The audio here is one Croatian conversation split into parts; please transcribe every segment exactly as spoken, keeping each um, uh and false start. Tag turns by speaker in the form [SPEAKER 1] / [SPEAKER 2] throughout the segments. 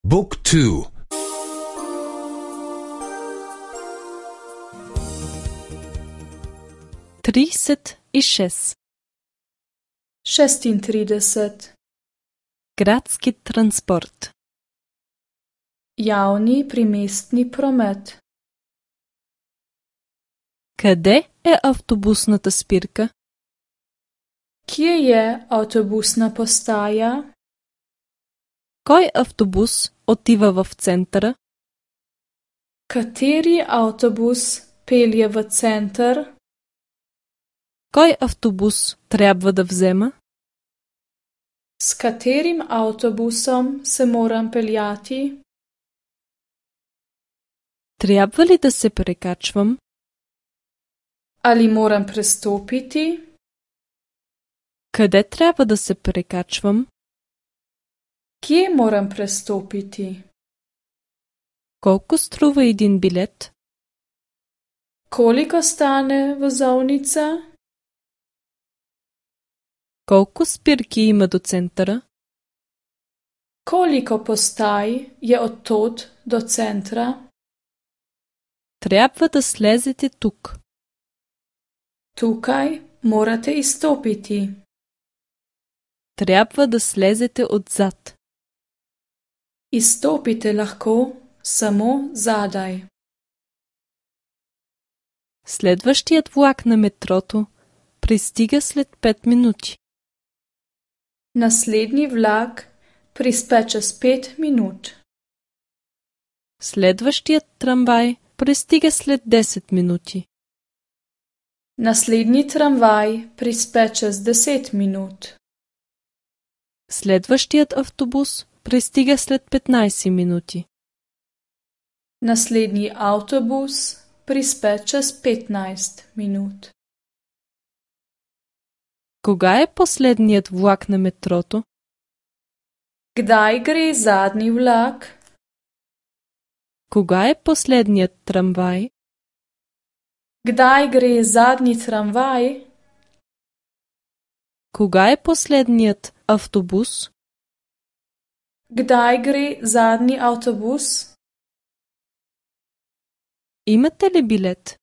[SPEAKER 1] Book two.
[SPEAKER 2] trideset šest.
[SPEAKER 3] šestintrideset.
[SPEAKER 2] Gradski transport.
[SPEAKER 3] Javni primestni promet.
[SPEAKER 2] Къде е автобусната спирка?
[SPEAKER 3] Kje je avtobusna postaja?
[SPEAKER 2] Кой автобус отива в центъра?
[SPEAKER 3] Kateri avtobus pelje v center?
[SPEAKER 2] Кой автобус трябва да взема?
[SPEAKER 3] S katerim avtobusom se moram peljati?
[SPEAKER 2] Трябва ли да се прекачвам?
[SPEAKER 3] Ali moram prestopiti?
[SPEAKER 2] Къде трябва да се прекачвам?
[SPEAKER 3] Kje moram prestopiti?
[SPEAKER 2] Колко струва един билет?
[SPEAKER 3] Koliko stane vozovnica?
[SPEAKER 2] Колко спирки има до центъра?
[SPEAKER 3] Koliko postaj je od tod do centra?
[SPEAKER 2] Трябва да слезете тук.
[SPEAKER 3] Tukaj morate izstopiti.
[SPEAKER 2] Трябва да слезете отзад.
[SPEAKER 3] Izstopite lahko samo zadaj.
[SPEAKER 2] Следващият влак на метрото пристига след пет минути.
[SPEAKER 3] Naslednji vlak prispe čez pet minut.
[SPEAKER 2] Следващият трамвай пристига след десет минути.
[SPEAKER 3] Naslednji tramvaj prispe čez deset minut.
[SPEAKER 2] Следващият автобус пристига след петнайсет минути.
[SPEAKER 3] Naslednji avtobus prispe čez petnajst minut.
[SPEAKER 2] Кога е последният влак на метрото?
[SPEAKER 3] Kdaj gre zadnji vlak?
[SPEAKER 2] Кога е последният трамвай?
[SPEAKER 3] Kdaj gre zadnji tramvaj?
[SPEAKER 2] Кога е последният автобус?
[SPEAKER 3] Kdaj gre zadnji avtobus?
[SPEAKER 2] Имате ли билет?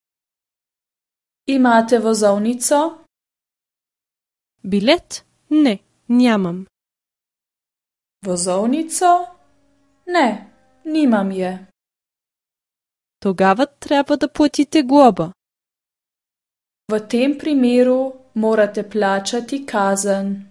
[SPEAKER 3] Imate vozovnico?
[SPEAKER 2] Билет? Не, нямам.
[SPEAKER 3] Vozovnico? Ne, nimam je.
[SPEAKER 2] Тогава трябва да платите глоба.
[SPEAKER 3] V tem primeru morate plačati kazen.